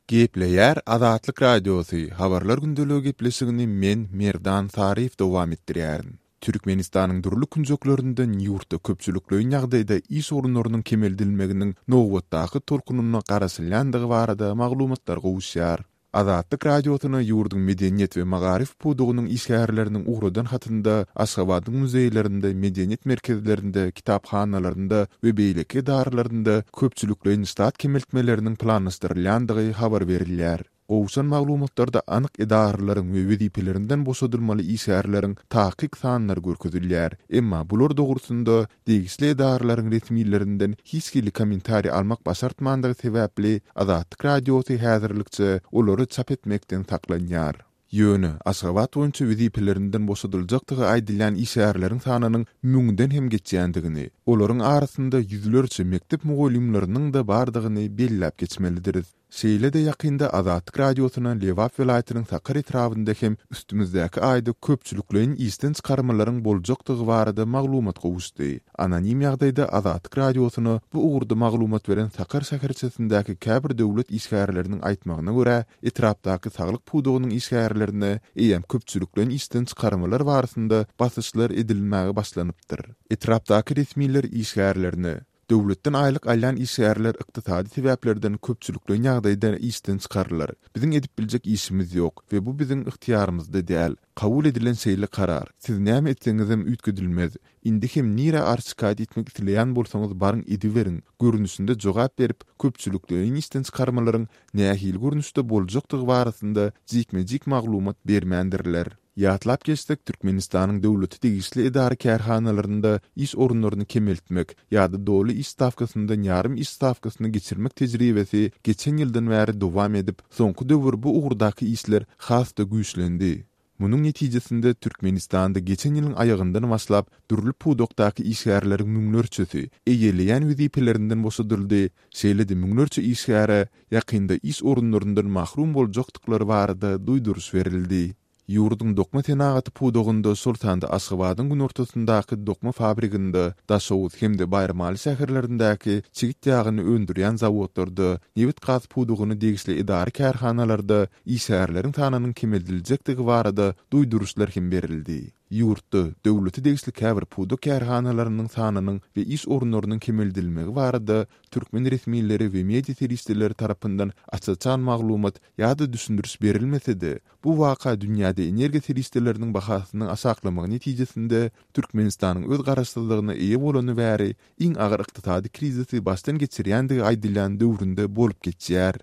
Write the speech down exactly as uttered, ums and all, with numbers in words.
Gepleýär Azatlyk Radiosy, Habarlar gündeligi gepleşigini men, Merdan Saryýew dowam etdirýärin. Türkmenistanyň dürli künjeklerinden ýurtda köpçülikleýin ýagdaýda iş orunlarynyň kemeldilmeginiň nobatdaky tolkunyna garaşylýandygy barada maglumatlar gowuşýar. Azatlyk Radiosyna ýurduň medeniýet we magaryf pudagynyň işgärleriniň ugradan hatynda Aşgabadyň muzeýlerinde, medeniýet merkezlerinde, kitaphanalarynda we beýleki edaralarynda köpçülikleýin ştat kemeltmeleriniň planlaşdyrylýandygy habar berilýär. Gowşan maglumatlarda anyk edaralaryň we wezipelerinden boşadylmaly işgärleriň takyk sanlary görkezilýär. Emma bular dogrusynda degişli edaralaryň resmilerinden hiç hili kommentariý almak başartmandygy sebäpli Azatlyk Radiosy häzirlikçe olary çap etmekden saklanýar. Ýöne Aşgabat boýunça wezipelerinden boşadyljakdygy aýdylýan işgärleriň sanynyň müňden hem geçýändigini, olaryň arasynda ýüzlerçe mekdep mugallymlarynyň-da bardygyny belläp geçmelidiris. Şeýle-de ýakynda Azatlyk Radiosyna Lebap welaýatynyň Sakar etrabynda hem üstümizdäki aýda köpçülikleýin işden çykarmalaryň boljakdygy barada maglumat gowuşdy. Anonim ýagdaýda Azatlyk Radiosyna bu ugurda maglumat beren Sakar şäherçesindäki käbir döwlet işgärleriniň aýtmagyna görä, etrapdaky saglyk pudagynyň işgärlerine eýýäm köpçülikleýin işden çykarmalar barasynda basyşlar edilmäge başlanypdyr. Etrapdaky resmiler işgärlerine döwletden aýlyk alýan işgärler ykdysady sebäplerden köpçülikleýin ýagdaýda işden çykarylar. Biziň edip biljek işimiz ýok we bu biziň ygtyýarymyzda däl. Kabul edilen şeýle karar. Siz näme etseňizem üýtgedilmez. Indi hem nirä arz-şikaýat etmek isleýän bolsaňyz baryň ediberiň görnüşinde jogap berip, köpçülikleýin işden çykarmalaryň nähili görnüşde boljakdygy barasynda jikme-jik maglumat bermändirler. Ýatlap geçsek, Türkmenistanyň döwlete degişli edara-kärhanalarynda iş orunlaryny kemeltmek ýa-da doly iş stawkasyndan ýarym iş stawkasyna geçirmek tejribesi geçen ýyldan bäri dowam edip, soňky döwür bu ugurdaky işler has-da güýçlendi. Munuň netijesinde Türkmenistanda geçen ýylyň aýagyndan başlap dürli pudakdaky işgärleriň müňlerçesi eýeleýän wezipelerinden boşadyldy, şeýle-de müňlerçe işgäre ýakynda iş orunlaryndan mahrum boljakdyklary barada duýduryş berildi. Ýurduň dokma senagaty pudagynda, şol sanda Aşgabadyň günortasyndaky dokma fabriginde, Daşoguz hem-de Baýramaly şäherlerindäki çigit ýagyny öndürýän zawodlarda, nebit-gaz pudagyna degişli edara-kärhanalarda işgärleriň sanynyň kemeldiljekdigi barada duýduryşlar hem berildi. Ýurtda döwlete degişli käbir pudak kärhanalarynyň sanynyň we iş orunlarynyň kemeldilmegi barada türkmen resmileri we media serişdeleri tarapyndan aç-açan maglumat ýa-da düşündiriş berilmese-de, bu waka dünýäde energiýa serişdeleriniň bahasynyň aşaklamagy netijesinde Türkmenistanyň öz garaşsyzlygyna eýe bolany bäri iň agyr ykdysady krizisi başdan geçirýändigi aýdylýan döwründe bolup geçýär.